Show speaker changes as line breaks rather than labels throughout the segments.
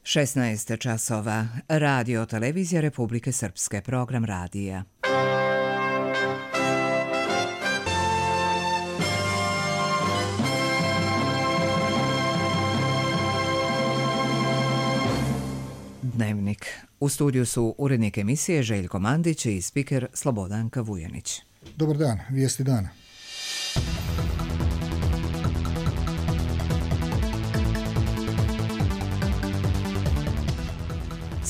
16 časova. Radio Televizija Republike Srpske. Program radija. Dnevnik. U studiju su urednik emisije Željko Mandić i spiker Slobodanka Vujanić.
Dobar dan, vijesti dana.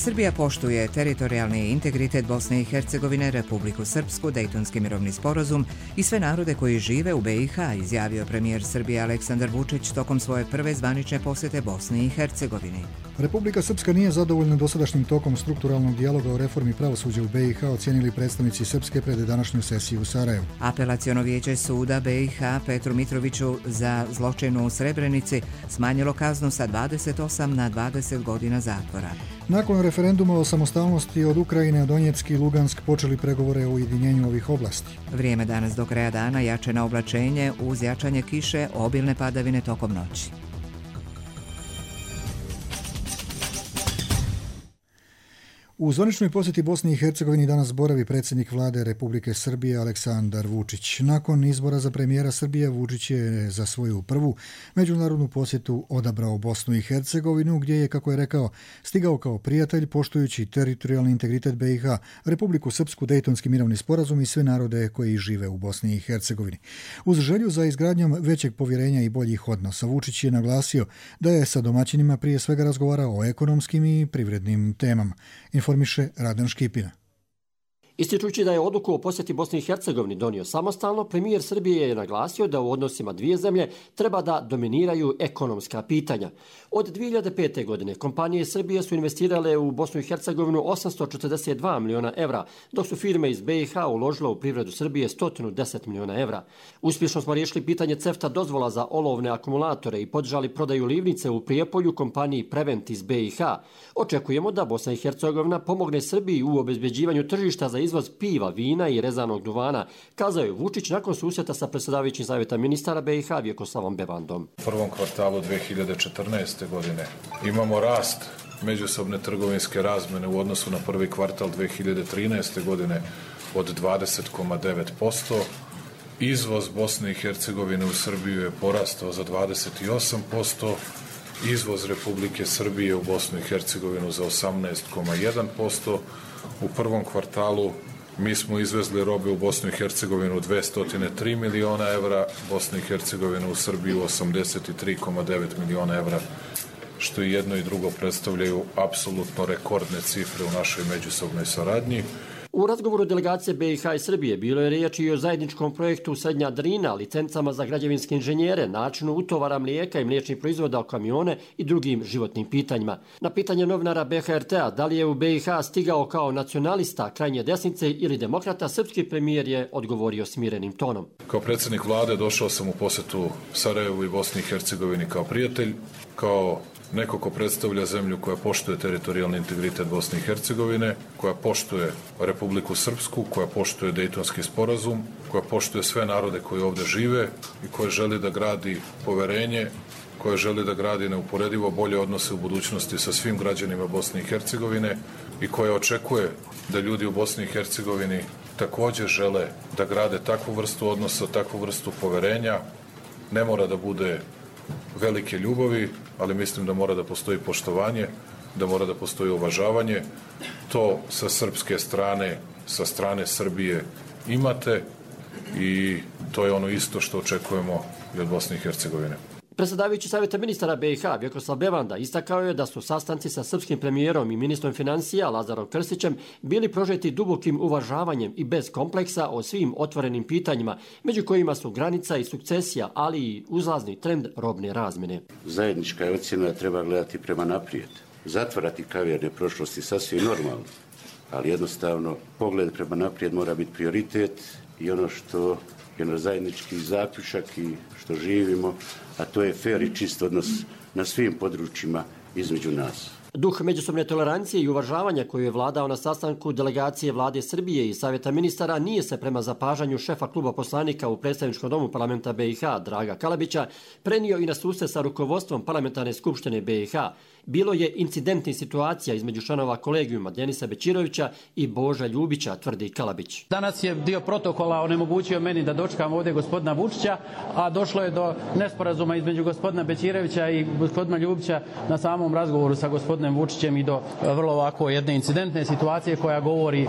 Srbija poštuje teritorijalni integritet Bosne i Hercegovine, Republiku Srpsku, Dejtonski mirovni sporazum i sve narode koji žive u BiH, izjavio premijer Srbije Aleksandar Vučić tokom svoje prve zvanične posjete Bosni i Hercegovini.
Republika Srpska nije zadovoljna dosadašnjim tokom strukturalnog dijaloga o reformi pravosuđa u BiH, ocijenili predstavnici Srpske pred današnju sesiju u Sarajevu.
Apelaciono vijeće suda BiH Petru Mitroviću za zločin u Srebrenici smanjilo kaznu sa 28 na 20 godina zatvora.
Nakon referenduma o samostalnosti od Ukrajine, Donjeck i Lugansk počeli pregovore o ujedinjenju ovih oblasti.
Vrijeme danas do kraja dana, jačeno oblačenje uz jačanje kiše, obilne padavine tokom noći.
U zvaničnoj posjeti Bosni i Hercegovini danas boravi predsjednik vlade Republike Srbije Aleksandar Vučić. Nakon izbora za premijera Srbije, Vučić je za svoju prvu međunarodnu posjetu odabrao Bosnu i Hercegovinu, gdje je, kako je rekao, stigao kao prijatelj poštujući teritorijalni integritet BiH, Republiku Srpsku, Dejtonski mirovni sporazum i sve narode koji žive u Bosni i Hercegovini. Uz želju za izgradnjom većeg povjerenja i boljih odnosa, Vučić je naglasio da je sa domaćinima prije svega razgovarao o ekonomskim i privrednim temama. Informiše Radan Škipina.
Ističući da je odluku o posjeti Bosni i Hercegovini donio samostalno, premijer Srbije je naglasio da u odnosima dvije zemlje treba da dominiraju ekonomska pitanja. Od 2005. godine kompanije Srbije su investirale u Bosnu i Hercegovinu 842 miliona evra, dok su firme iz BiH uložile u privredu Srbije 110 miliona evra. Uspješno smo riješili pitanje CEFTA dozvola za olovne akumulatore i podržali prodaju livnice u Prijepolju kompaniji Prevent iz BiH. Očekujemo da Bosna i Hercegovina pomogne Srbiji u obezbeđivanju tržišta za izvoz piva, vina i rezanog duvana, kazao je Vučić nakon susjeta sa predsjedavajućim savjeta ministara BiH Vjekoslavom Bevandom.
U prvom kvartalu 2014. godine imamo rast međusobne trgovinske razmjene u odnosu na prvi kvartal 2013. godine od 20,9%. Izvoz Bosne i Hercegovine u Srbiju je porastao za 28%. Izvoz Republike Srbije u Bosnu i Hercegovinu za 18,1%. U prvom kvartalu mi smo izvezli robe u Bosnu i Hercegovinu 203 miliona evra, Bosnu i Hercegovinu u Srbiju 83,9 miliona evra, što i jedno i drugo predstavljaju apsolutno rekordne cifre u našoj međusobnoj saradnji.
U razgovoru delegacije BiH i Srbije bilo je riječ i o zajedničkom projektu Srednja Drina, licencama za građevinske inženjere, načinu utovara mlijeka i mliječnih proizvoda o kamione i drugim životnim pitanjima. Na pitanje novinara BHRT-a da li je u BiH stigao kao nacionalista, krajnje desnice ili demokrata, srpski premijer je odgovorio smirenim tonom.
Kao predsjednik vlade došao sam u posjetu Sarajevu i Bosni i Hercegovini kao prijatelj, kao neko ko predstavlja zemlju koja poštuje teritorijalni integritet Bosne i Hercegovine, koja poštuje Republiku Srpsku, koja poštuje Dejtonski sporazum, koja poštuje sve narode koji ovdje žive i koja želi da gradi poverenje, koja želi da gradi neuporedivo bolje odnose u budućnosti sa svim građanima Bosne i Hercegovine i koja očekuje da ljudi u Bosni i Hercegovini također žele da grade takvu vrstu odnosa, takvu vrstu poverenja. Ne mora da bude velike ljubavi, ali mislim da mora da postoji poštovanje, da mora da postoji uvažavanje. To sa srpske strane, sa strane Srbije imate i to je ono isto što očekujemo i od Bosne i Hercegovine.
Predsjedavajući savjeta ministara BiH Vjekoslav Bevanda istakao je da su sastanci sa srpskim premijerom i ministrom financija Lazarom Krstićem bili prožeti dubokim uvažavanjem i bez kompleksa o svim otvorenim pitanjima, među kojima su granica i sukcesija, ali i uzlazni trend robne razmjene.
Zajednička je ocjena da treba gledati prema naprijed. Zatvarati kaverne prošlosti sasvim normalno, ali jednostavno pogled prema naprijed mora biti prioritet i ono što je naš zajednički zaključak i što živimo, a to je fer i čist odnos na svim područjima između nas.
Duh međusobne tolerancije i uvažavanja koju je vladao na sastanku delegacije vlade Srbije i Savjeta ministara nije se prema zapažanju šefa kluba poslanika u predstavničkom domu parlamenta BiH Draga Kalabića prenio i na susret sa rukovodstvom parlamentarne skupštine BiH. Bilo je incidentnih situacija između članova kolegijuma Denisa Bećirovića i Boža Ljubića, tvrdi Kalabić.
Danas je dio protokola onemogućio meni da dočekam ovdje gospodina Vučića, a došlo je do nesporazuma između gospodina Bećirovića i gospodina Ljubića na samom razgovoru sa gospodinom Vučićem i do vrlo ovako jedne incidentne situacije koja govori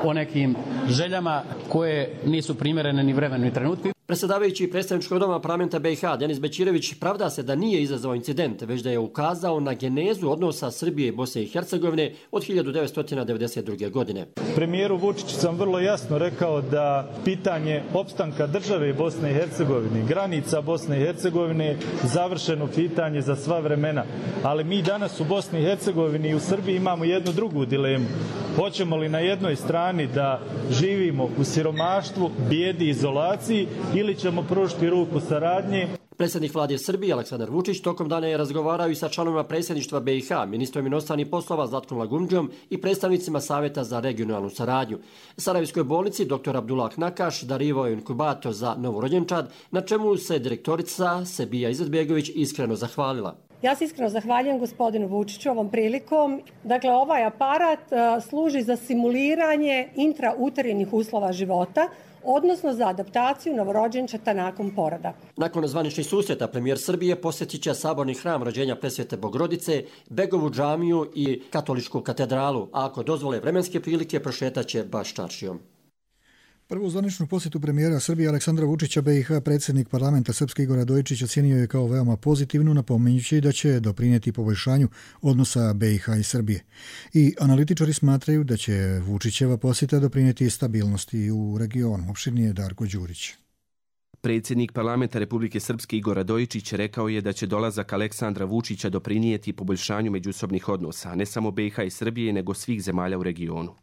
o nekim željama koje nisu primjerene ni vremenu ni trenutku.
Predsjedavajući predstavničkog doma parlamenta BiH Denis Bećirović pravda se da nije izazvao incident, već da je ukazao na genezu odnosa Srbije i Bosne i Hercegovine od 1992. godine.
Premijeru Vučiću sam vrlo jasno rekao da pitanje opstanka države Bosne i Hercegovine, granica Bosne i Hercegovine, završeno pitanje za sva vremena. Ali mi danas u Bosni i Hercegovini i u Srbiji imamo jednu drugu dilemu. Hoćemo li na jednoj strani da živimo u siromaštvu, bijedi, izolaciji ili ćemo pružiti ruku saradnje?
Predsjednik vlade Srbije Aleksandar Vučić tokom dana je razgovarao i sa članovima predsjedništva BiH, ministrom inostranih poslova Zlatkom Lagundžijom i predstavnicima Savjeta za regionalnu saradnju. Sarajevskoj bolnici dr. Abdullah Nakaš darivao je inkubator za novorođenčad, na čemu se direktorica Sebija Izetbegović iskreno zahvalila.
Ja se iskreno zahvaljujem gospodinu Vučiću ovom prilikom. Dakle, ovaj aparat služi za simuliranje intrauterinih uslova života, odnosno za adaptaciju novorođenčeta nakon poroda.
Nakon zvaničnih susreta premijer Srbije posjetit će saborni hram rođenja Presvete Bogorodice, Begovu džamiju i katoličku katedralu, a ako dozvole vremenske prilike prošetat će baš čaršijom.
Prvu zvaničnu posjetu premijera Srbije Aleksandra Vučića BiH predsjednik parlamenta Srpske Igor Radojičić ocijenio je kao veoma pozitivnu, napominjući da će doprinijeti poboljšanju odnosa BiH i Srbije. I analitičari smatraju da će Vučićeva posjeta doprinijeti stabilnosti u regionu. Opširnije Darko Đurić.
Predsjednik parlamenta Republike Srpske Igor Radojičić rekao je da će dolazak Aleksandra Vučića doprinijeti poboljšanju međusobnih odnosa, ne samo BiH i Srbije, nego svih zemalja u regionu.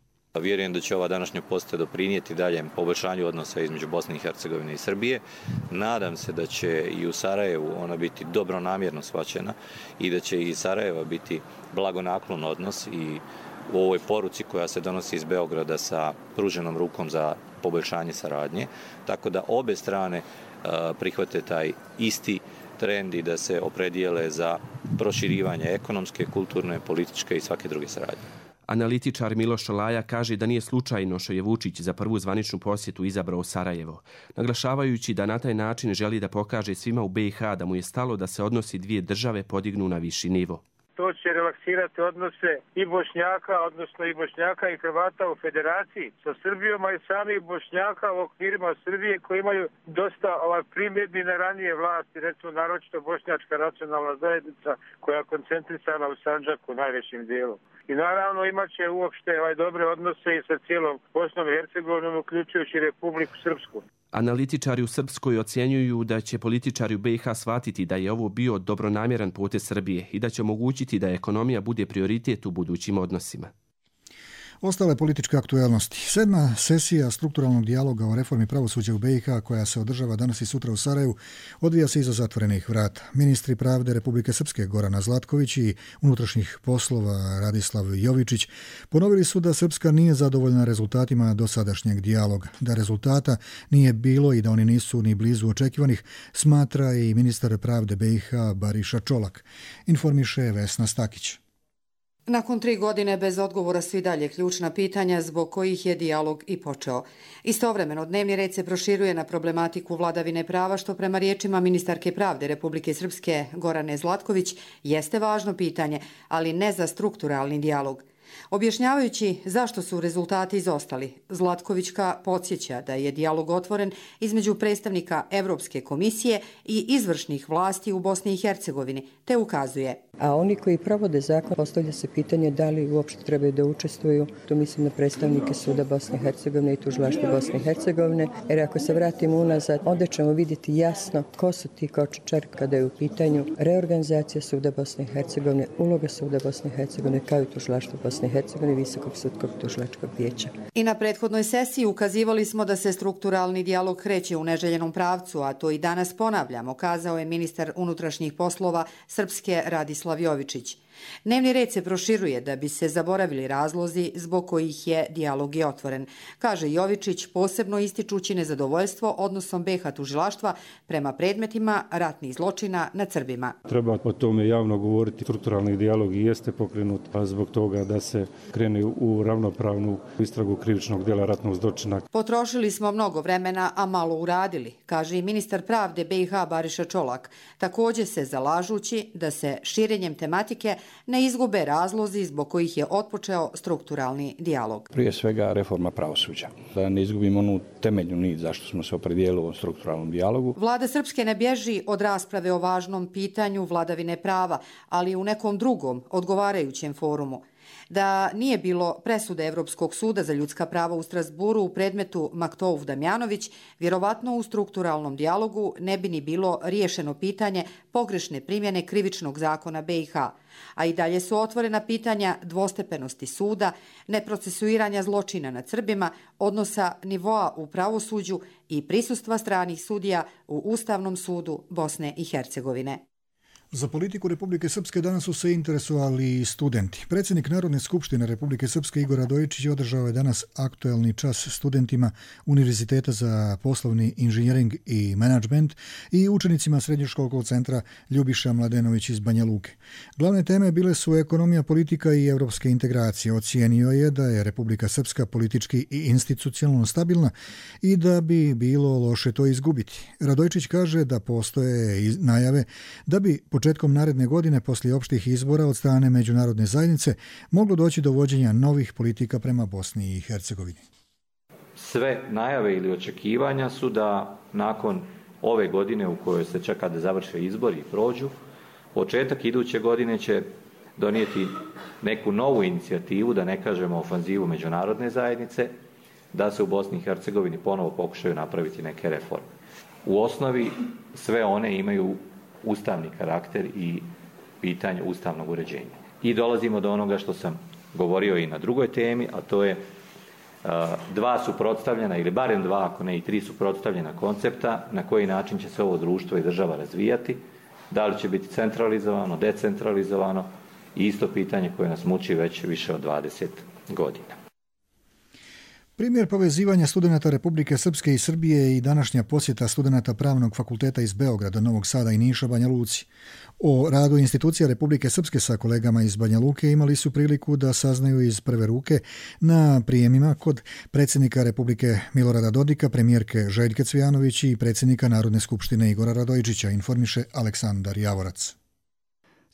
Vjerujem da će ova današnja posjeta doprinijeti daljem poboljšanju odnosa između Bosne i Hercegovine i Srbije. Nadam se da će i u Sarajevu ona biti dobronamjerno shvaćena i da će i Sarajeva biti blagonaklon odnos i u ovoj poruci koja se donosi iz Beograda sa pruženom rukom za poboljšanje saradnje. Tako da obe strane prihvate taj isti trend i da se opredijele za proširivanje ekonomske, kulturne, političke i svake druge saradnje.
Analitičar Miloš Laja kaže da nije slučajno što je Vučić za prvu zvaničnu posjetu izabrao Sarajevo, naglašavajući da na taj način želi da pokaže svima u BiH da mu je stalo da se odnosi dvije države podignu na viši nivo.
To će relaksirati odnose i Bošnjaka, odnosno i Bošnjaka i Hrvata u federaciji sa Srbijom, a i samih Bošnjaka u okvirima Srbije koji imaju dosta primjedbi na ranije vlasti, recimo naročito Bošnjačka nacionalna zajednica koja je koncentrisana u Sandžaku najvećim dijelom. I naravno imat će uopšte dobre odnose i sa cijelom Bosnom i Hercegovinom, uključujući Republiku Srpsku.
Analitičari u Srpskoj ocjenjuju da će političari u BiH shvatiti da je ovo bio dobronamjeran potez Srbije i da će omogućiti da ekonomija bude prioritet u budućim odnosima.
Ostale političke aktuelnosti. 7. sesija strukturalnog dijaloga o reformi pravosuđa u BiH, koja se održava danas i sutra u Sarajevu, odvija se iza zatvorenih vrata. Ministri pravde Republike Srpske Gorana Zlatković i unutrašnjih poslova Radislav Jovičić ponovili su da Srpska nije zadovoljna rezultatima dosadašnjeg dijaloga. Da rezultata nije bilo i da oni nisu ni blizu očekivanih, smatra i ministar pravde BiH Bariša Čolak. Informiše Vesna Stakić.
Nakon 3 godine bez odgovora su i dalje ključna pitanja zbog kojih je dijalog i počeo. Istovremeno, dnevni red se proširuje na problematiku vladavine prava, što prema riječima ministarke pravde Republike Srpske Gorane Zlatković jeste važno pitanje, ali ne za strukturalni dijalog. Objašnjavajući zašto su rezultati izostali, Zlatkovićka podsjeća da je dijalog otvoren između predstavnika Evropske komisije i izvršnih vlasti u Bosni i Hercegovini, te ukazuje.
A oni koji provode zakon, postavlja se pitanje da li uopšte trebaju da učestvuju. Tu mislim na predstavnike Suda Bosne i Hercegovine i Tužilaštva Bosne i Hercegovine, jer ako se vratimo unazad, onda ćemo vidjeti jasno ko su ti kočničari kada je u pitanju reorganizacija Suda Bosne i Hercegovine, uloga Suda Bosne i Hercegovine kao i Tužilaštva Bosne i Hercegovine, Visokog sudskog tužilačkog vijeća.
I na prethodnoj sesiji ukazivali smo da se strukturalni dijalog kreće u neželjenom pravcu, a to i danas ponavljamo, kazao je ministar unutrašnjih poslova Srpske Radislav Jovičić. Dnevni red se proširuje da bi se zaboravili razlozi zbog kojih je dijalog i otvoren, kaže Jovičić, posebno ističući nezadovoljstvo odnosom BiH tužilaštva prema predmetima ratnih zločina nad Srbima.
Treba o tome javno govoriti. Strukturalni dijalog i jeste pokrenut zbog toga da se krene u ravnopravnu istragu krivičnog djela ratnog zločina.
Potrošili smo mnogo vremena, a malo uradili, kaže i ministar pravde BiH Bariša Čolak, također se zalažući da se širenjem tematike ne izgube razlozi zbog kojih je otpočeo strukturalni dijalog.
Prije svega reforma pravosuđa, da ne izgubimo onu temeljnu nit zašto smo se opredijelili u ovom strukturalnom dijalogu.
Vlada Srpske ne bježi od rasprave o važnom pitanju vladavine prava, ali u nekom drugom, odgovarajućem forumu. Da nije bilo presude Evropskog suda za ljudska prava u Strasburu u predmetu Maktouf Damjanović, vjerovatno u strukturalnom dijalogu ne bi ni bilo riješeno pitanje pogrešne primjene krivičnog zakona BiH, a i dalje su otvorena pitanja dvostepenosti suda, neprocesuiranja zločina nad Srbima, odnosa nivoa u pravosuđu i prisustva stranih sudija u Ustavnom sudu Bosne i Hercegovine.
Za politiku Republike Srpske danas su se interesovali i studenti. Predsjednik Narodne skupštine Republike Srpske Igor Radojičić održao je danas aktuelni čas studentima Univerziteta za poslovni inženjering i menadžment i učenicima Srednjoškolskog centra Ljubiša Mladenović iz Banja Luke. Glavne teme bile su ekonomija, politika i evropske integracije. Ocijenio je da je Republika Srpska politički i institucionalno stabilna i da bi bilo loše to izgubiti. Radojičić kaže da postoje najave da bi početkom naredne godine, poslije opštih izbora od strane međunarodne zajednice, moglo doći do vođenja novih politika prema Bosni i Hercegovini.
Sve najave ili očekivanja su da nakon ove godine u kojoj se čeka da završe izbori i prođu, početak iduće godine će donijeti neku novu inicijativu, da ne kažemo ofanzivu međunarodne zajednice, da se u Bosni i Hercegovini ponovo pokušaju napraviti neke reforme. U osnovi sve one imaju ustavni karakter i pitanje ustavnog uređenja. I dolazimo do onoga što sam govorio i na drugoj temi, a to je dva suprotstavljena, ili barem dva, ako ne i tri suprotstavljena koncepta na koji način će se ovo društvo i država razvijati, da li će biti centralizovano, decentralizovano i isto pitanje koje nas muči već više od 20 godina.
Primjer povezivanja studenata Republike Srpske i Srbije i današnja posjeta studenata Pravnog fakulteta iz Beograda, Novog Sada i Niša Banja Luci. O radu institucija Republike Srpske sa kolegama iz Banja Luke imali su priliku da saznaju iz prve ruke na prijemima kod predsjednika Republike Milorada Dodika, premijerke Željke Cvijanović i predsjednika Narodne skupštine Igora Radojičića, informiše Aleksandar Javorac.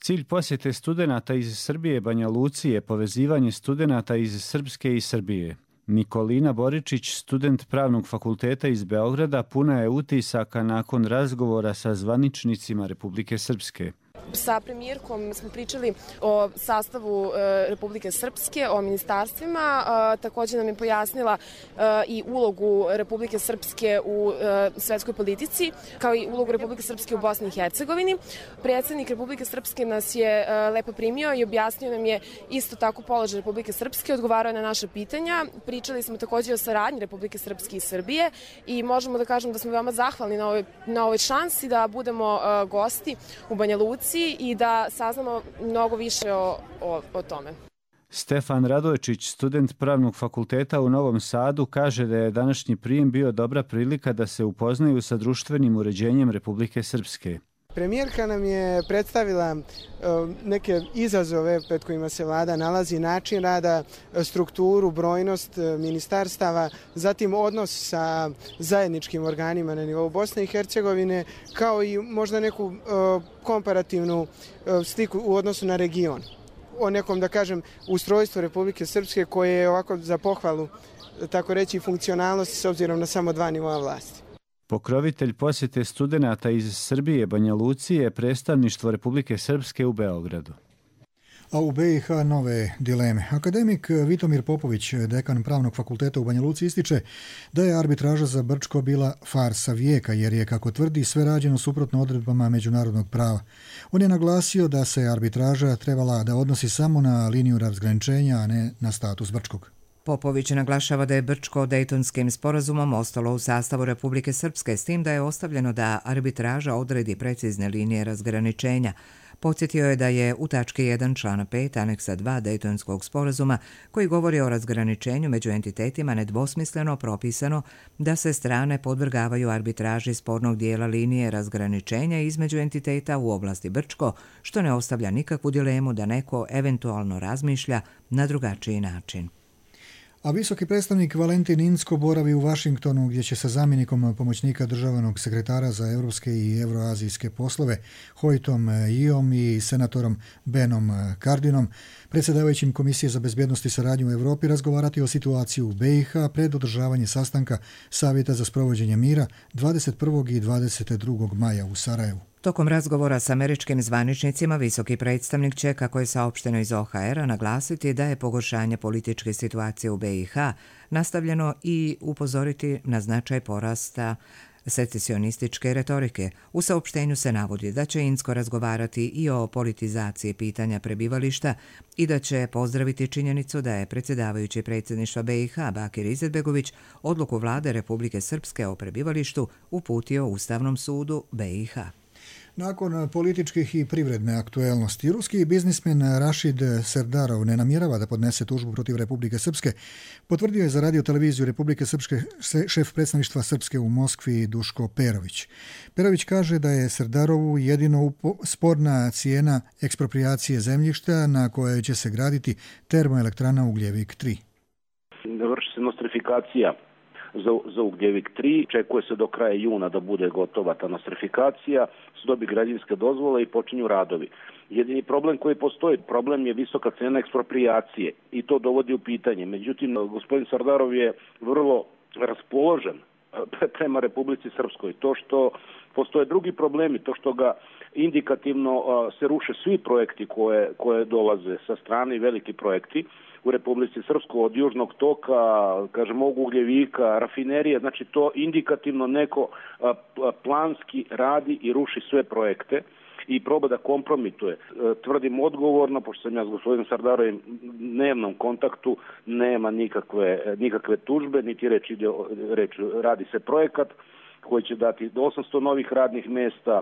Cilj posjete studenata iz Srbije Banja Luci je povezivanje studenata iz Srpske i Srbije. Nikolina Boričić, student Pravnog fakulteta iz Beograda, puna je utisaka nakon razgovora sa zvaničnicima Republike Srpske.
Sa premijerkom smo pričali o sastavu Republike Srpske, o ministarstvima. Također nam je pojasnila i ulogu Republike Srpske u svetskoj politici, kao i ulogu Republike Srpske u Bosni i Hercegovini. Predsjednik Republike Srpske nas je lepo primio i objasnio nam je isto tako položaj Republike Srpske, odgovarao je na naša pitanja. Pričali smo također o saradnji Republike Srpske i Srbije i možemo da kažemo da smo veoma zahvalni na ovoj šansi da budemo gosti u Banja Luci i da saznamo mnogo više o tome.
Stefan Radojčić, student Pravnog fakulteta u Novom Sadu, kaže da je današnji prijem bio dobra prilika da se upoznaju sa društvenim uređenjem Republike Srpske.
Premijerka nam je predstavila neke izazove pred kojima se vlada nalazi, način rada, strukturu, brojnost ministarstava, zatim odnos sa zajedničkim organima na nivou Bosne i Hercegovine, kao i možda neku komparativnu sliku u odnosu na region. O nekom, da kažem, ustrojstvu Republike Srpske koje je ovako za pohvalu, tako reći, funkcionalnosti s obzirom na samo dva nivoa vlasti.
Pokrovitelj posjete studenata iz Srbije Banja Luci je predstavništvo Republike Srpske u Beogradu.
A u BiH nove dileme. Akademik Vitomir Popović, dekan Pravnog fakulteta u Banja Luci, ističe da je arbitraža za Brčko bila farsa vijeka, jer je, kako tvrdi, sve rađeno suprotno odredbama međunarodnog prava. On je naglasio da se arbitraža trebala da odnosi samo na liniju razgraničenja, a ne na status Brčkog.
Popović naglašava da je Brčko Dejtonskim sporazumom ostalo u sastavu Republike Srpske, s tim da je ostavljeno da arbitraža odredi precizne linije razgraničenja. Podsjetio je da je u tački 1 člana 5 aneksa 2 Dejtonskog sporazuma, koji govori o razgraničenju među entitetima, nedvosmisleno propisano da se strane podvrgavaju arbitraži spornog dijela linije razgraničenja između entiteta u oblasti Brčko, što ne ostavlja nikakvu dilemu da neko eventualno razmišlja na drugačiji način.
A visoki predstavnik Valentin Inzko boravi u Vašingtonu, gdje će sa zamjenikom pomoćnika državnog sekretara za europske i euroazijske poslove Hojtom Iom i senatorom Benom Cardinom, predsjedavajućim Komisije za bezbjednost i saradnju u Europi, razgovarati o situaciji u BiH pred održavanje sastanka Savjeta za sprovođenje mira 21. i 22. maja u Sarajevu.
Tokom razgovora s američkim zvaničnicima, visoki predstavnik će, kako je saopšteno iz OHR-a, naglasiti da je pogoršanje političke situacije u BiH nastavljeno i upozoriti na značaj porasta secesionističke retorike. U saopštenju se navodi da će Inzko razgovarati i o politizaciji pitanja prebivališta i da će pozdraviti činjenicu da je predsjedavajući predsjedništva BiH Bakir Izetbegović odluku vlade Republike Srpske o prebivalištu uputio Ustavnom sudu BiH.
Nakon političkih i privredne aktuelnosti, ruski biznismen Rašid Serdarov ne namjerava da podnese tužbu protiv Republike Srpske, potvrdio je za radioteleviziju Republike Srpske šef predstavništva Srpske u Moskvi Duško Perović. Perović kaže da je Serdarovu jedino sporna cijena ekspropriacije zemljišta na kojoj će se graditi termoelektrana Ugljevik 3.
Vrši se nostrifikacija za Ugljevik 3. Čekuje se do kraja juna da bude gotova ta nostrifikacija, se dobi građevinske dozvole i počinju radovi. Jedini problem koji postoji, problem je visoka cena ekspropriacije i to dovodi u pitanje. Međutim, gospodin Sardarov je vrlo raspoložen prema Republici Srpskoj. To što postoje drugi problemi, to što ga indikativno se ruše svi projekti koje dolaze sa strane, veliki projekti u Republici Srpskoj, od Južnog toka, kažemo, Ugljevika, rafinerije, znači to indikativno neko planski radi i ruši sve projekte i proba da kompromituje. Tvrdim odgovorno, pošto sam ja s gospodinom Sardarovim dnevnom kontaktu, nema nikakve tužbe, niti reč radi se projekat koji će dati 800 novih radnih mjesta,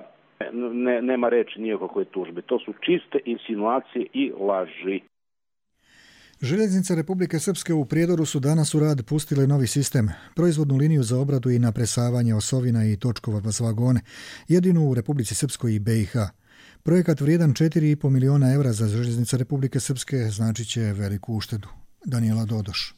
nema reči nikakve tužbe. To su čiste insinuacije i laži.
Željeznice Republike Srpske u Prijedoru su danas u rad pustile novi sistem, proizvodnu liniju za obradu i napresavanje osovina i točkova s vagone, jedinu u Republici Srpskoj i BiH. Projekat vrijedan 4,5 miliona evra za Željeznice Republike Srpske značit će veliku uštedu. Daniela Dodoš.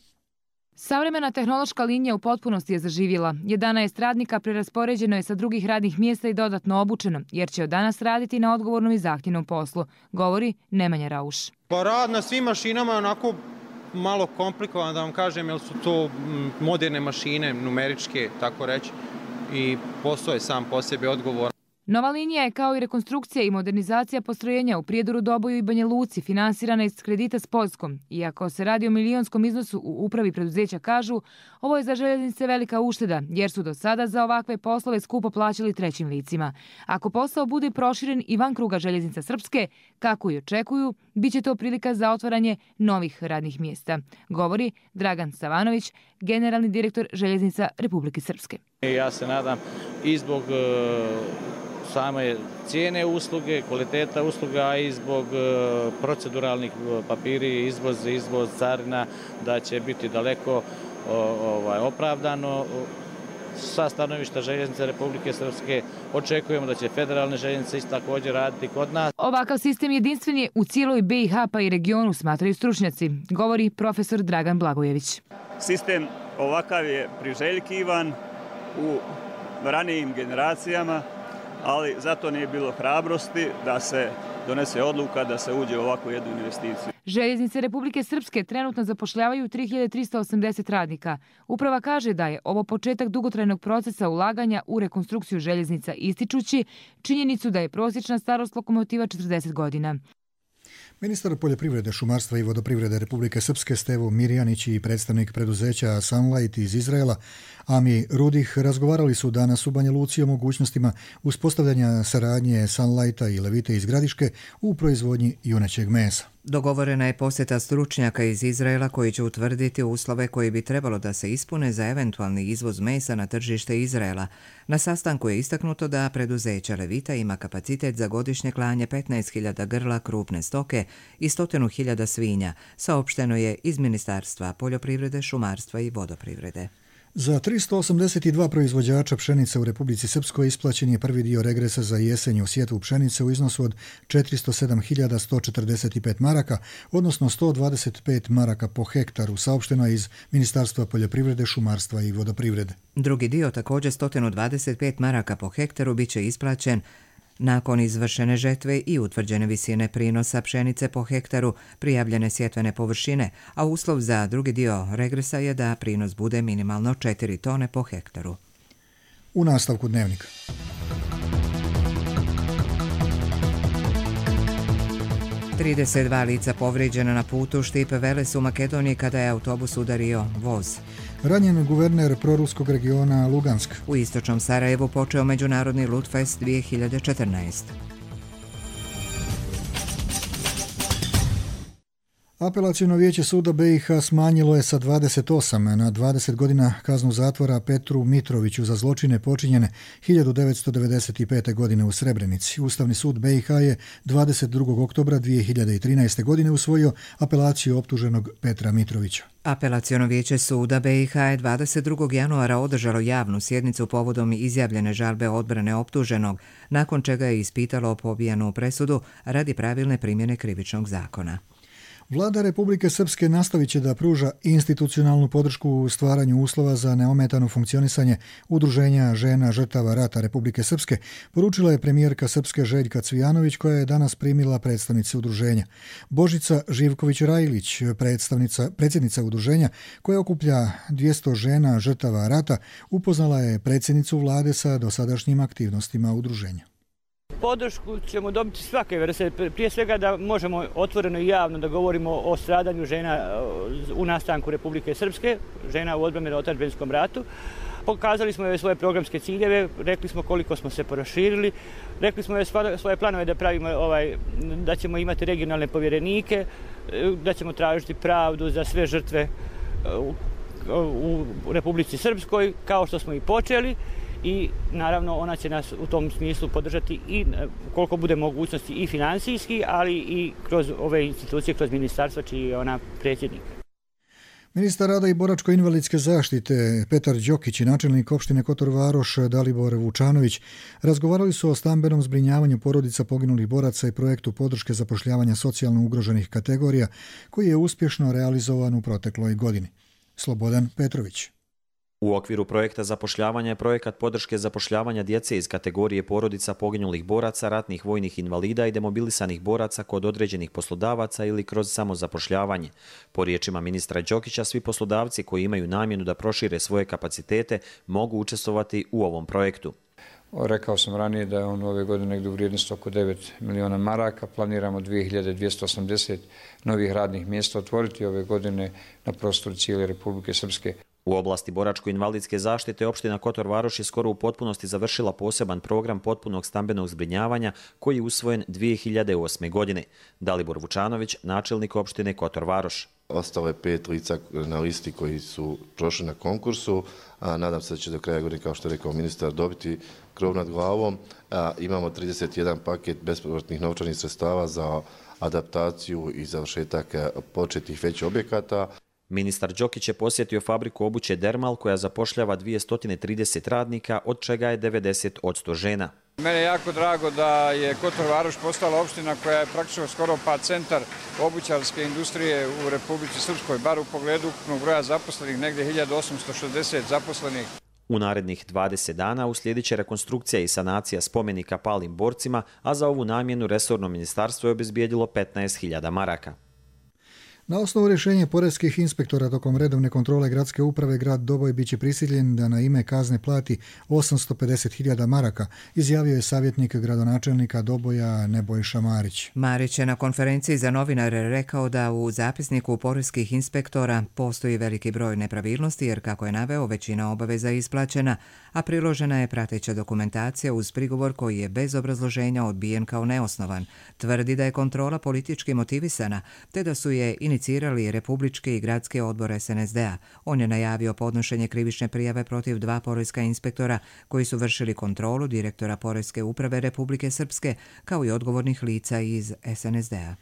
Savremena tehnološka linija u potpunosti je zaživjela. 11 radnika preraspoređeno je sa drugih radnih mjesta i dodatno obučeno, jer će od danas raditi na odgovornom i zahtjevnom poslu, govori Nemanja Rauš.
Pa rad na svim mašinama je onako malo komplikovan, da vam kažem, jer su to moderne mašine, numeričke, tako reći, i posao je sam po sebi odgovoran.
Nova linija je kao i rekonstrukcija i modernizacija postrojenja u Prijedoru, Doboju i Banja Luci finansirana iz kredita s Poljskom. Iako se radi o milionskom iznosu, u upravi preduzeća kažu, ovo je za željeznice velika ušteda, jer su do sada za ovakve poslove skupo plaćali trećim licima. Ako posao bude proširen i van kruga Željeznica Srpske, kako i očekuju, bit će to prilika za otvaranje novih radnih mjesta, govori Dragan Savanović, generalni direktor Željeznica Republike Srpske.
Ja se nadam i zbog same cijene usluge, kvaliteta usluga i zbog proceduralnih papiri, izvoz carina, da će biti daleko opravdano. Sa stanovišta Željeznice Republike Srpske očekujemo da će federalne željeznice isto također raditi kod nas.
Ovakav sistem jedinstven je u cijeloj BiH pa i regionu, smatraju stručnjaci, govori profesor Dragan Blagojević.
Sistem ovakav je priželjkivan u ranijim generacijama, ali zato nije bilo hrabrosti da se donese odluka da se uđe u ovakvu jednu investiciju.
Željeznice Republike Srpske trenutno zapošljavaju 3380 radnika. Uprava kaže da je ovo početak dugotrajnog procesa ulaganja u rekonstrukciju željeznica, ističući činjenicu da je prosječna starost lokomotiva 40 godina.
Ministar poljoprivrede, šumarstva i vodoprivrede Republike Srpske Stevo Mirjanić i predstavnik preduzeća Sunlight iz Izraela Ami Rudih razgovarali su danas u Banja Luci o mogućnostima uspostavljanja saradnje Sunlighta i Levite iz Gradiške u proizvodnji junećeg mesa.
Dogovorena je posjeta stručnjaka iz Izraela koji će utvrditi uslove koji bi trebalo da se ispune za eventualni izvoz mesa na tržište Izraela. Na sastanku je istaknuto da preduzeće Levita ima kapacitet za godišnje klanje 15.000 grla krupne stoke i 100.000 svinja, saopšteno je iz Ministarstva poljoprivrede, šumarstva i vodoprivrede.
Za 382 proizvođača pšenice u Republici Srpskoj isplaćen je prvi dio regresa za jesenju sjetvu pšenice u iznosu od 407.145 maraka, odnosno 125 maraka po hektaru, saopšteno je iz Ministarstva poljoprivrede, šumarstva i vodoprivrede.
Drugi dio, također 125 maraka po hektaru, bit će isplaćen nakon izvršene žetve i utvrđene visine prinosa pšenice po hektaru, prijavljene sjetvene površine, a uslov za drugi dio regresa je da prinos bude minimalno 4 tone po hektaru.
U nastavku dnevnika.
Trideset lica povrijeđena na putu Štip-Veles u Makedoniji kada je autobus udario voz.
Ranjen guverner proruskog regiona Lugansk.
U istočnom Sarajevu počeo Međunarodni Ludfest 2014.
Apelaciono vijeće suda BiH smanjilo je sa 28 na 20 godina kaznu zatvora Petru Mitroviću za zločine počinjene 1995. godine u Srebrenici. Ustavni sud BiH je 22. oktobra 2013. godine usvojio apelaciju optuženog Petra Mitrovića.
Apelaciono vijeće suda BiH je 22. januara održalo javnu sjednicu povodom izjavljene žalbe odbrane optuženog, nakon čega je ispitalo pobijanu presudu radi pravilne primjene krivičnog zakona.
Vlada Republike Srpske nastavit će da pruža institucionalnu podršku u stvaranju uslova za neometano funkcionisanje Udruženja žena žrtava rata Republike Srpske, poručila je premijerka Srpske Željka Cvijanović, koja je danas primila predstavnice udruženja. Božica Živković-Rajlić, predsjednica udruženja koja okuplja 200 žena žrtava rata, upoznala je predsjednicu vlade sa dosadašnjim aktivnostima udruženja.
Podršku ćemo dobiti svake vrste, prije svega da možemo otvoreno i javno da govorimo o stradanju žena u nastanku Republike Srpske, žena u odbrani u otadžbinskom ratu. Pokazali smo joj svoje programske ciljeve, rekli smo koliko smo se proširili, rekli smo joj svoje planove da pravimo da ćemo imati regionalne povjerenike, da ćemo tražiti pravdu za sve žrtve u Republici Srpskoj, kao što smo i počeli. I naravno ona će nas u tom smislu podržati i koliko bude mogućnosti i financijski, ali i kroz ove institucije, kroz ministarstva čiji je ona predsjednik.
Ministar rada i boračko-invalidske zaštite Petar Đokić i načelnik opštine Kotor Varoš Dalibor Vučanović razgovarali su o stambenom zbrinjavanju porodica poginulih boraca i projektu podrške zapošljavanja socijalno ugroženih kategorija koji je uspješno realizovan u protekloj godini. Slobodan Petrović.
U okviru projekta zapošljavanja je projekat podrške zapošljavanja djece iz kategorije porodica poginulih boraca, ratnih vojnih invalida i demobilisanih boraca kod određenih poslodavaca ili kroz samozapošljavanje. Po riječima ministra Đokića, svi poslodavci koji imaju namjenu da prošire svoje kapacitete mogu učestvovati u ovom projektu.
Rekao sam ranije da je on ove godine negdje u vrijednosti oko 9 miliona maraka. Planiramo 2280 novih radnih mjesta otvoriti ove godine na prostoru cijele Republike Srpske.
U oblasti boračko-invalidske zaštite opština Kotor Varoš je skoro u potpunosti završila poseban program potpunog stambenog zbrinjavanja koji je usvojen 2008. godine. Dalibor Vučanović, načelnik opštine Kotor Varoš.
Ostalo je 5 lica na listi koji su prošli na konkursu. Nadam se da će do kraja godine, kao što je rekao ministar, dobiti krov nad glavom. Imamo 31 paket bespovratnih novčanih sredstava za adaptaciju i završetak početnih već objekata.
Ministar Đokić je posjetio fabriku obuće Dermal koja zapošljava 230 radnika, od čega je 90% žena.
Mene je jako drago da je Kotor Varoš postala opština koja je praktično skoro pa centar obućarske industrije u Republici Srpskoj, bar u pogledu ukupnog broja zaposlenih, negdje 1860 zaposlenih.
U narednih 20 dana uslijedit će rekonstrukcija i sanacija spomenika palim borcima, a za ovu namjenu resorno ministarstvo je obezbijedilo 15.000 maraka.
Na osnovu rješenja poreskih inspektora tokom redovne kontrole gradske uprave, grad Doboj biće prisiljen da na ime kazne plati 850.000 maraka, izjavio je savjetnik gradonačelnika Doboja Nebojša Marić.
Marić je na konferenciji za novinare rekao da u zapisniku poreskih inspektora postoji veliki broj nepravilnosti jer, kako je naveo, većina obaveza je isplaćena, a priložena je prateća dokumentacija uz prigovor koji je bez obrazloženja odbijen kao neosnovan. Tvrdi da je kontrola politički motivisana, te da su je inicirali Republički i Gradski odbor SNSD-a. On je najavio podnošenje krivične prijave protiv 2 poreska inspektora koji su vršili kontrolu direktora Poreske uprave Republike Srpske kao i odgovornih lica iz SNSD-a.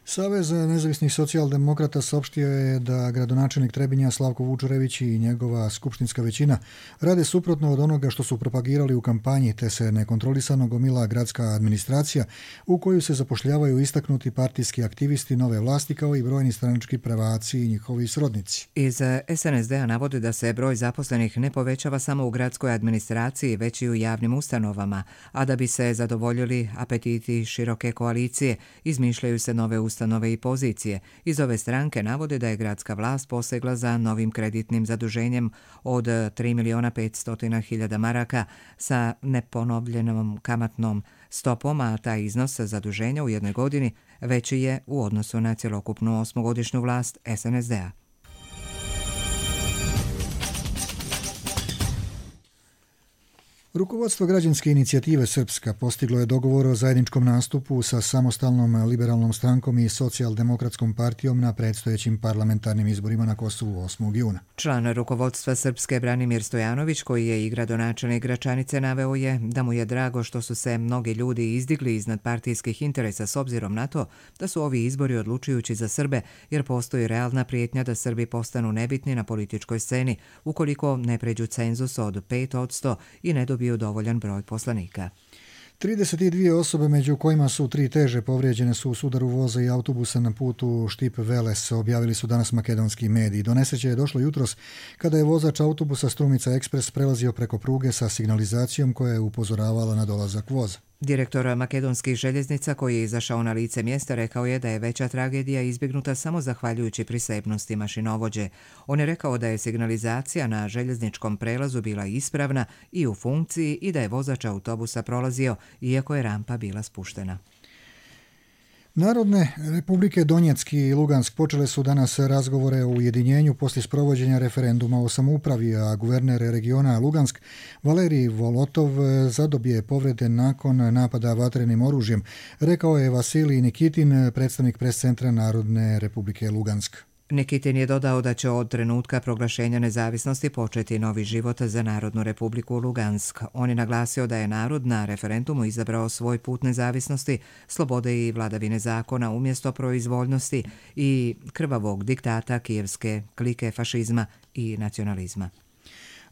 Savez nezavisnih socijaldemokrata saopštio je da gradonačelnik Trebinja Slavko Vučurević i njegova skupštinska većina rade suprotno od onoga što su propagirali u kampanji, te se nekontrolisano gomila gradska administracija u koju se zapošljavaju istaknuti partijski aktivisti nove vlasti kao i brojni stranački prvaci i njihovi srodnici.
Iz SNSD-a navode da se broj zaposlenih ne povećava samo u gradskoj administraciji, već i u javnim ustanovama, a da bi se zadovoljili apetiti široke koalicije, izmišljaju se nove ustanove i pozicije. Iz ove stranke navode da je gradska vlast posegla za novim kreditnim zaduženjem od 3.500.000 maraka sa neponovljenom kamatnom stopom, a taj iznos zaduženja u jednoj godini veći je u odnosu na cjelokupnu 8-godišnju vlast SNSD-a.
Rukovodstvo građanske inicijative Srpska postiglo je dogovor o zajedničkom nastupu sa samostalnom liberalnom strankom i socijaldemokratskom partijom na predstojećim parlamentarnim izborima na Kosovu 8. juna.
Član rukovodstva Srpske Branimir Stojanović, koji je i gradonačelnik Gračanice, naveo je da mu je drago što su se mnogi ljudi izdigli iznad partijskih interesa s obzirom na to da su ovi izbori odlučujući za Srbe, jer postoji realna prijetnja da Srbi postanu nebitni na političkoj sceni ukoliko ne pređu cenzus od 5% i ne dobiju dovoljan broj poslanika.
32 osobe, među kojima su 3 teže povrijeđene, su u sudaru voza i autobusa na putu Štip-Veles, objavili su danas makedonski mediji. Do nesreće je došlo jutros kada je vozač autobusa Strumica Ekspres prelazio preko pruge sa signalizacijom koja je upozoravala na dolazak voza.
Direktor makedonskih željeznica, koji je izašao na lice mjesta, rekao je da je veća tragedija izbjegnuta samo zahvaljujući prisebnosti mašinovođe. On je rekao da je signalizacija na željezničkom prelazu bila ispravna i u funkciji i da je vozač autobusa prolazio, iako je rampa bila spuštena.
Narodne republike Donjeck i Lugansk počele su danas razgovore o ujedinjenju poslije sprovođenja referenduma o samoupravi, a guverner regiona Lugansk Valerij Volotov zadobije povrede nakon napada vatrenim oružjem, rekao je Vasilij Nikitin, predstavnik prescentra Narodne republike Lugansk.
Nikitin je dodao da će od trenutka proglašenja nezavisnosti početi novi život za Narodnu republiku Lugansk. On je naglasio da je narod na referendumu izabrao svoj put nezavisnosti, slobode i vladavine zakona umjesto proizvoljnosti i krvavog diktata kijevske klike fašizma i nacionalizma.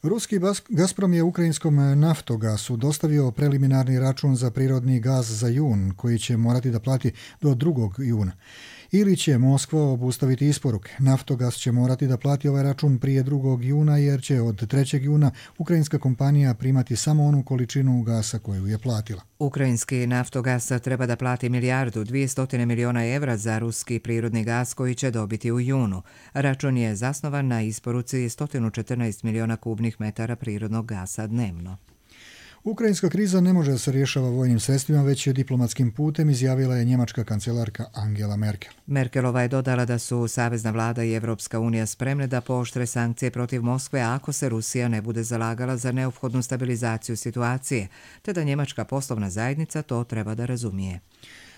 Ruski Gazprom je ukrajinskom Naftogasu dostavio preliminarni račun za prirodni gaz za jun, koji će morati da plati do 2. juna. Ili će Moskva obustaviti isporuke. Naftogas će morati da plati ovaj račun prije 2. juna jer će od 3. juna ukrajinska kompanija primati samo onu količinu gasa koju je platila.
Ukrajinski Naftogas treba da plati 1.200 miliona evra za ruski prirodni gas koji će dobiti u junu. Račun je zasnovan na isporuci 114 miliona kubnih metara prirodnog gasa dnevno.
Ukrajinska kriza ne može da se rješava vojnim sredstvima, već je diplomatskim putem, izjavila je njemačka kancelarka Angela Merkel.
Merkelova je dodala da su Savezna vlada i Evropska unija spremne da pooštre sankcije protiv Moskve ako se Rusija ne bude zalagala za neophodnu stabilizaciju situacije, te da njemačka poslovna zajednica to treba da razumije.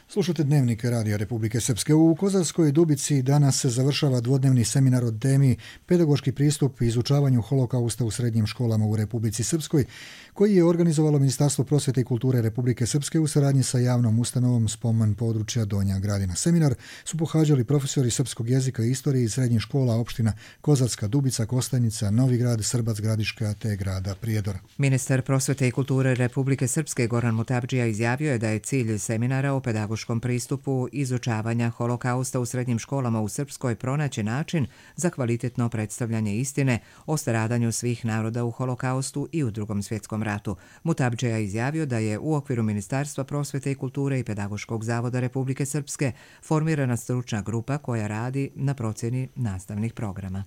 Slušate Dnevnik Radija Republike Srpske. U Kozarskoj Dubici danas se završava dvodnevni seminar o temi pedagoški pristup izučavanju holokausta u srednjim školama u Republici Srpskoj, koji je organizovalo Ministarstvo prosvjete i kulture Republike Srpske u saradnji sa javnom ustanovom Spomen područja Donja Gradina. Seminar su pohađali profesori srpskog jezika i istorije iz srednjih škola opština Kozarska Dubica, Kostajnica, Novi Grad, Srbac Gradiška te grada Prijedor.
Ministar prosvjete i kulture Republike Srpske Goran Mutabdžija izjavio je da je cilj seminara o pedagoškom pedagoškom pristupu izučavanja holokausta u srednjim školama u Srpskoj pronaći način za kvalitetno predstavljanje istine o stradanju svih naroda u holokaustu i u Drugom svjetskom ratu. Mutabdžija je izjavio da je u okviru Ministarstva prosvete i kulture i Pedagoškog zavoda Republike Srpske formirana stručna grupa koja radi na procjeni nastavnih programa.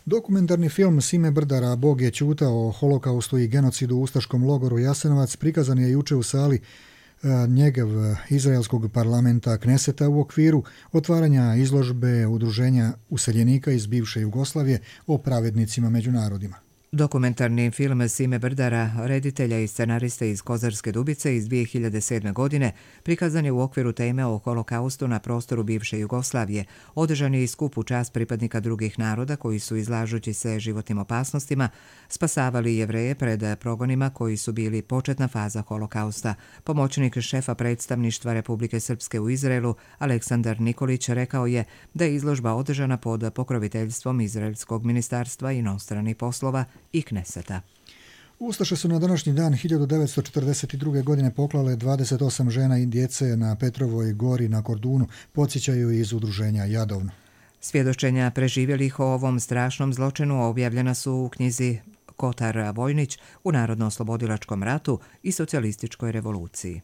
Dokumentarni film Sime Brdara Bog je ćutao o holokaustu i genocidu u ustaškom logoru Jasenovac prikazan je juče u sali Njegev izraelskog parlamenta Kneseta u okviru otvaranja izložbe Udruženja useljenika iz bivše Jugoslavije o pravednicima među narodima.
Dokumentarni film Sime Brdara, reditelja i scenariste iz Kozarske Dubice iz 2007. godine, prikazan je u okviru teme o holokaustu na prostoru bivše Jugoslavije. Održan je i skup u čast pripadnika drugih naroda koji su, izlažući se životnim opasnostima, spasavali Jevreje pred progonima koji su bili početna faza holokausta. Pomoćnik šefa predstavništva Republike Srpske u Izraelu, Aleksandar Nikolić, rekao je da je izložba održana pod pokroviteljstvom Izraelskog ministarstva inostranih poslova i Kneseta.
Ustaše su na današnji dan 1942. godine poklale 28 žena i djece na Petrovoj gori na Kordunu, podsjećaju iz udruženja Jadovno.
Svjedočenja preživjelih o ovom strašnom zločinu objavljena su u knjizi Kotar Vojnić u Narodno-oslobodilačkom ratu i socijalističkoj revoluciji.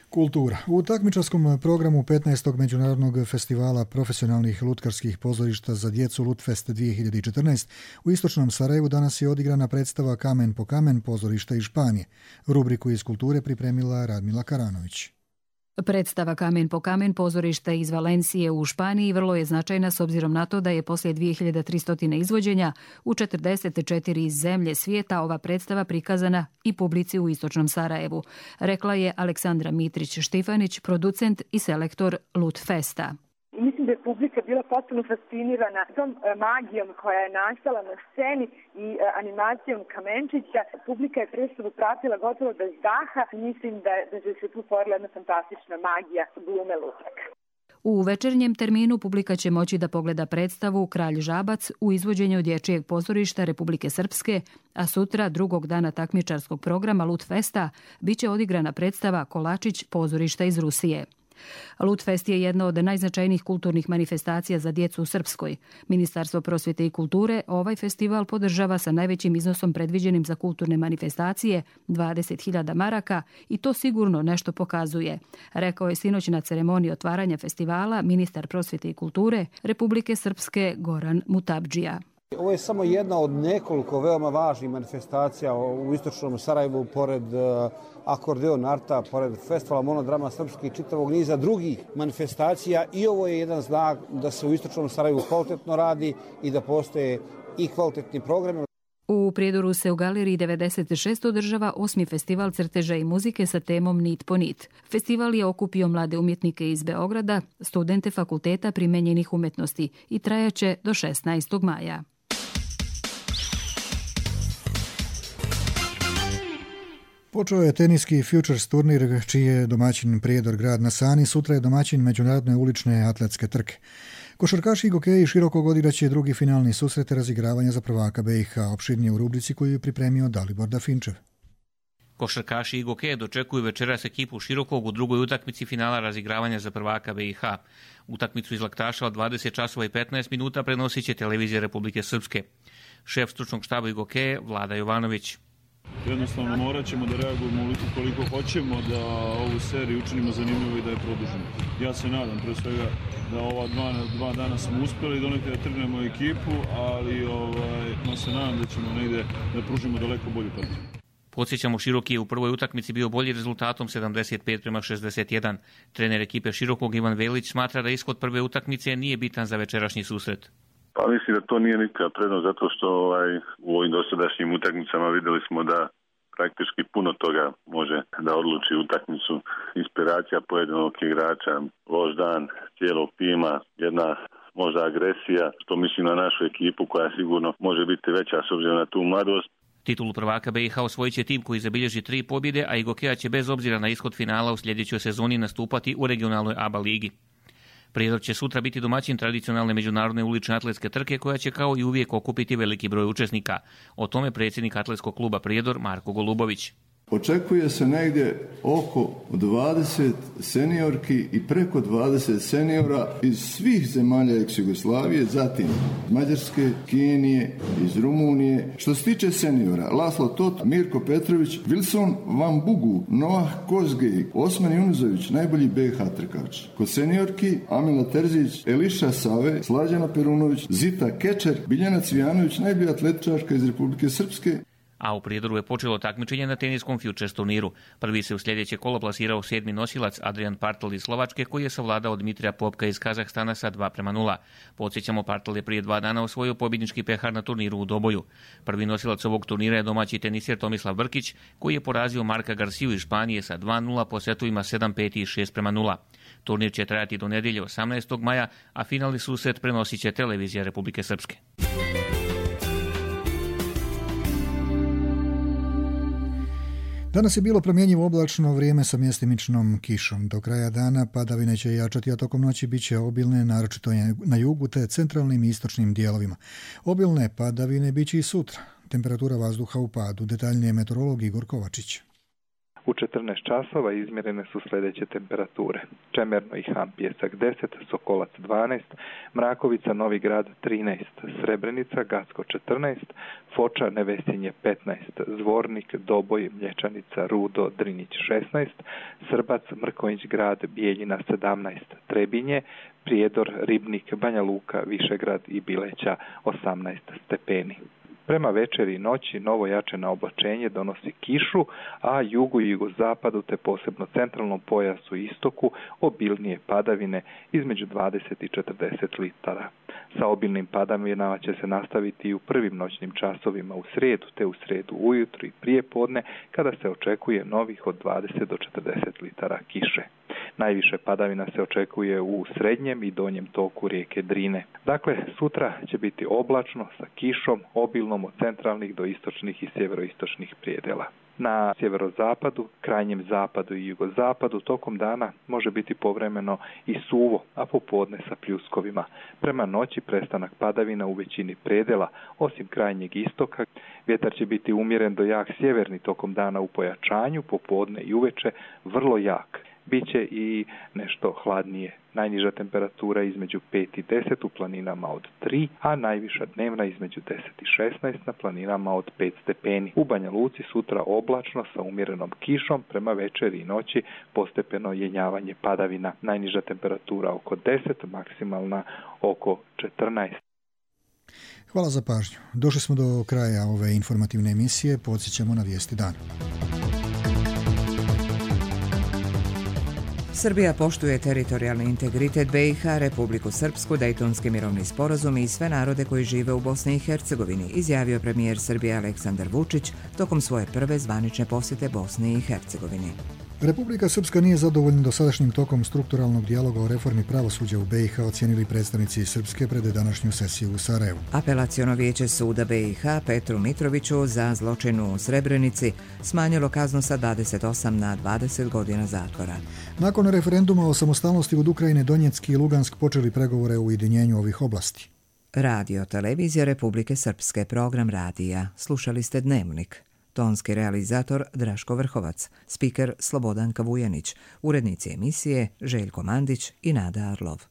Kultura. U takmičarskom programu 15. Međunarodnog festivala profesionalnih lutkarskih pozorišta za djecu Lutfest 2014 u istočnom Sarajevu danas je odigrana predstava Kamen po kamen pozorišta iz Španije. Rubriku iz kulture pripremila Radmila Karanović.
Predstava Kamen po kamen pozorišta iz Valencije u Španiji vrlo je značajna s obzirom na to da je poslije 2300 izvođenja u 44 zemlje svijeta ova predstava prikazana i publici u istočnom Sarajevu, rekla je Aleksandra Mitrić-Štifanić, producent i selektor Lutfesta.
Mislim da je publika bila potpuno fascinirana tom magijom koja je nastala na sceni i animacijom Kamenčića. Publika je predstavu pratila gotovo bez daha. Mislim da se tu stvorila jedna fantastična magija glume lutaka.
U večernjem terminu publika će moći da pogleda predstavu Kralj Žabac u izvođenju Dječjeg pozorišta Republike Srpske, a sutra, drugog dana takmičarskog programa Lutfesta, biće odigrana predstava Kolačić pozorišta iz Rusije. Lutfest je jedna od najznačajnijih kulturnih manifestacija za djecu u Srpskoj. Ministarstvo prosvjete i kulture ovaj festival podržava sa najvećim iznosom predviđenim za kulturne manifestacije, 20.000 maraka, i to sigurno nešto pokazuje, rekao je sinoć na ceremoniji otvaranja festivala ministar prosvjete i kulture Republike Srpske Goran Mutabdžija.
Ovo je samo jedna od nekoliko veoma važnih manifestacija u istočnom Sarajevu, pored Akordeon Arta, pored festivala Monodrama Srpske i čitavog niza drugih manifestacija, i ovo je jedan znak da se u istočnom Sarajevu kvalitetno radi i da postoje i kvalitetni programi.
U Prijedoru se u Galeriji 96 održava 8. festival crteža i muzike sa temom Nit po nit. Festival je okupio mlade umjetnike iz Beograda, studente Fakulteta primenjenih umjetnosti i trajaće do 16. maja.
Počeo je teniski Futures turnir, čiji je domaćin Prijedor grad na Sani, sutra je domaćin međunarodne ulične atletske trke. Košarkaši i gokeji širokog odigraće drugi finalni susret razigravanja za prvaka BiH, opširnije u rubrici koju je pripremio Dalibor Dafinčev.
Košarkaši i gokeje dočekuju večeras ekipu Širokog u drugoj utakmici finala razigravanja za prvaka BiH. Utakmicu iz Laktaša od 20 časova i 15 minuta prenosit će televizija Republike Srpske. Šef stručnog štaba i gokeje Vlada Jovanović.
Jednostavno morat ćemo da reagujemo koliko hoćemo da ovu seriju učinimo zanimljivo i da je produžimo. Ja se nadam, pre svega, da ova dva dana smo uspjeli donekle da trgnemo ekipu, ali ja se nadam da ćemo negdje da pružimo daleko bolju partiju.
Podsjećamo, Široki je u prvoj utakmici bio bolji rezultatom 75-61. Trener ekipe Širokog Ivan Velić smatra da ishod prve utakmice nije bitan za večerašnji susret.
Pa mislim da to nije nikakva prednost, zato što u ovim dosadašnjim utakmicama vidjeli smo da praktički puno toga može da odluči utakmicu. Inspiracija pojedinog igrača, loš dan cijelog tima, jedna možda agresija, što mislim na našu ekipu koja sigurno može biti veća s obzirom na tu mladost.
Titulu prvaka BiH osvojit će tim koji zabilježi 3 pobjede, a i Gokeja će bez obzira na ishod finala u sljedećoj sezoni nastupati u regionalnoj ABA ligi. Prijedor će sutra biti domaćin tradicionalne međunarodne ulične atletske trke koja će kao i uvijek okupiti veliki broj učesnika. O tome predsjednik atletskog kluba Prijedor Marko Golubović.
Očekuje se negdje oko 20 seniorki i preko 20 seniora iz svih zemalja ex-Jugoslavije, zatim Mađarske, Kenije, iz Rumunije. Što se tiče seniora, Laslo Tot, Mirko Petrović, Wilson Van Bugu, Noah Kozgej, Osman Junuzović, najbolji BiH trkač. Kod seniorki Amila Terzić, Eliša Save, Slađana Perunović, Zita Kečer, Biljana Cvijanović, najbolja atletičarka iz Republike Srpske.
A u Prijedoru je počelo takmičenje na teniskom Futures turniru. Prvi se u sljedeće kolo plasirao 7. nosilac Adrian Partl iz Slovačke, koji je savladao Dmitrija Popka iz Kazahstana sa 2:0. Podsjećamo, Partl je prije 2 dana osvojio pobjednički pehar na turniru u Doboju. Prvi nosilac ovog turnira je domaći teniser Tomislav Brkić, koji je porazio Marka Garciju iz Španije sa 2:0 po setovima 7:5 i 6:0. Turnir će trajati do nedjelje 18. maja, a finalni susret prenosit će televizija Republike Srpske.
Danas je bilo promjenjivo oblačno vrijeme sa mjestimičnom kišom. Do kraja dana padavine će jačati, a tokom noći bit će obilne, naročito na jugu te centralnim i istočnim dijelovima. Obilne padavine bit će i sutra. Temperatura vazduha u padu. Detaljnije meteorolog Igor Kovačić.
U 14 časova izmjerene su sljedeće temperature. Čemerno i Han Pjesak 10, Sokolac 12, Mrakovica, Novi Grad 13, Srebrenica, Gacko 14, Foča, Nevesinje 15, Zvornik, Doboj, Mlječanica, Rudo, Drinić 16, Srbac, Mrkonjić Grad, Bijeljina 17, Trebinje, Prijedor, Ribnik, Banja Luka, Višegrad i Bileća 18 stepeni. Prema večeri i noći novo jačeno oblačenje donosi kišu, a jugu i jugozapadu te posebno centralnom pojasu i istoku obilnije padavine između 20 i 40 litara. Sa obilnim padavinama će se nastaviti i u prvim noćnim časovima u srijedu, te u srijedu ujutro i prije podne, kada se očekuje novih od 20 do 40 litara kiše. Najviše padavina se očekuje u srednjem i donjem toku rijeke Drine. Dakle, sutra će biti oblačno sa kišom, obilnom od centralnih do istočnih i sjeveroistočnih prijedela. Na sjeverozapadu, krajnjem zapadu i jugozapadu tokom dana može biti povremeno i suvo, a popodne sa pljuskovima. Prema noći prestanak padavina u većini predela, osim krajnjeg istoka. Vjetar će biti umjeren do jak sjeverni tokom dana u pojačanju, popodne i uveče vrlo jak. Biće i nešto hladnije. Najniža temperatura između 5 i 10 u planinama od 3, a najviša dnevna između 10 i 16 na planinama od 5 stepeni. U Banja Luci sutra oblačno sa umjerenom kišom, prema večeri i noći postepeno jenjavanje padavina. Najniža temperatura oko 10, maksimalna oko 14.
Hvala za pažnju. Došli smo do kraja ove informativne emisije. Podsjećamo na vijesti dana.
Srbija poštuje teritorijalni integritet BiH, Republiku Srpsku, Dejtonski mirovni sporazum i sve narode koji žive u Bosni i Hercegovini, izjavio premijer Srbije Aleksandar Vučić tokom svoje prve zvanične posjete Bosni i Hercegovini.
Republika Srpska nije zadovoljna dosadašnjim tokom strukturalnog dijaloga o reformi pravosuđa u BiH, ocijenili predstavnici Srpske pred današnju sesiju u Sarajevu.
Apelaciono vijeće suda BiH Petru Mitroviću za zločin u Srebrenici smanjilo kaznu sa 28 na 20 godina zatvora.
Nakon referenduma o samostalnosti od Ukrajine, Donjeck i Lugansk počeli pregovore o ujedinjenju ovih oblasti.
Radio Televizija Republike Srpske, program radija. Slušali ste Dnevnik. Tonski realizator Draško Vrhovac, spiker Slobodan Kavujanić, urednici emisije Željko Mandić i Nada Arlov.